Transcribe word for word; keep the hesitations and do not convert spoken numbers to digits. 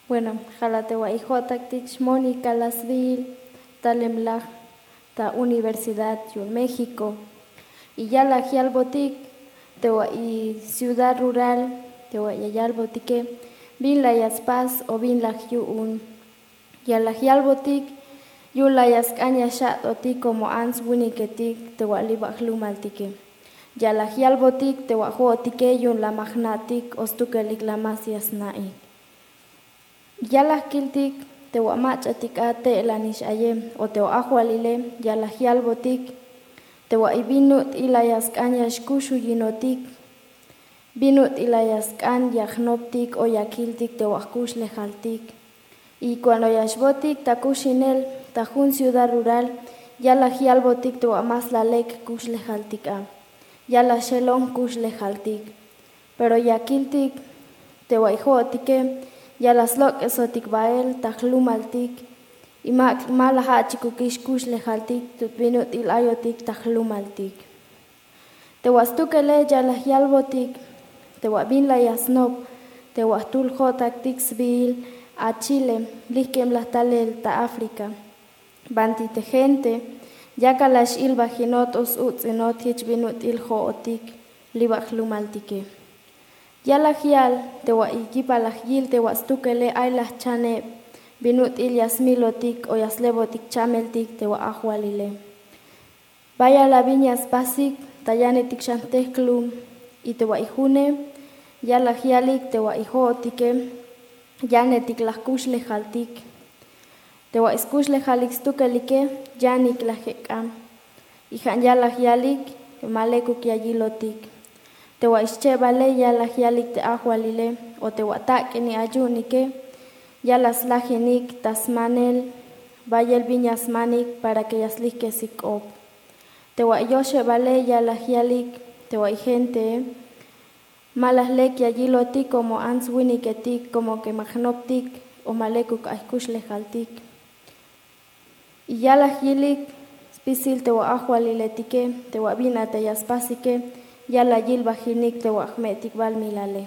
Bueno, jala te wa'i jo'taktik xmonika la sbiil talemlaj ta Universidad yu'un México. Y yalaj yalbotik te wa'i ciudad rural te wa'i ya yalbotike bin la ya spas o bin laj yu'un. Yalaj yalbotik yu'un la ya sk'an ya xa'totik komo ants winiketik te wa' li' ba' jlumaltike. Yalaj yalbotik te wa' jo'otike yu'un la ma jna'tik o stukelik la más ya sna'ik. Yalaj kiltik te wa' mach'atik a te'elanix aye o te wa' ajwalile. Yalaj yalbotik te wa'i bin ut'il la ya sk'an ya xkuxuyinotik, bin ut'il la ya sk'an ya jnoptik o ya kiltik te wa' jkuxlejaltik. Y kuando ya xbotik ta kuxinel ta jun ciudad rural yalaj yalbotik te wa' más la lek kuxlejaltik a, yalaj xelon kuxlejaltik. Pero ya kiltik te wa'i jo'otike yalaj slok'esotik bael ta jlumaltik. Y ma la ja'chikukix kuxlejaltik tut bin ut'il ayotik ta jlumaltik. Te wa' stukele yalaj yalbotik te wa' bin la ya snop te wa' jtul jo'taktik sbiil a Chile, lijk'emlaj talel ta África. Banti te gente yakal la x'ilbajinot o s-uts'inot jich bin ut'il jo'otik li' ba' jlumaltike. Yalaj yal te wa'i yipalaj yil te wa' stukele ay la jchaneb bin ut'il ya smilotik o ya slebotik chameltik te wa' ajwalile. Bayal a bin ya spasik ta yanetik xan jtejklum. Y te wa'i june yalaj yalik te wa'i jo'otike yanetik la jkuxlejaltik. Te wa'i skuxlejalik stukelike yanik la jek'an. Y ja' yalaj yalik ma lekuk ya yilotik. Te wa'i schebale yalaj yalik te ajwalile o te wa' tak'ini ay yu'unike yalaj slajinik ta smanel bayel bin ya smanik para que ya slijkesik k'op. Te wa'i yoxebale yalaj yalik te wa'i gentee ma la lek ya yilotik komo ants winiketik komo ke ma jnoptik o ma lekuk ay jkuxlejaltik. Y yalaj yilik spisil te wa' ajwaliletike te wa' bin a te ya spasike yalaj yilbajinik te wa' jme'tik balmilale.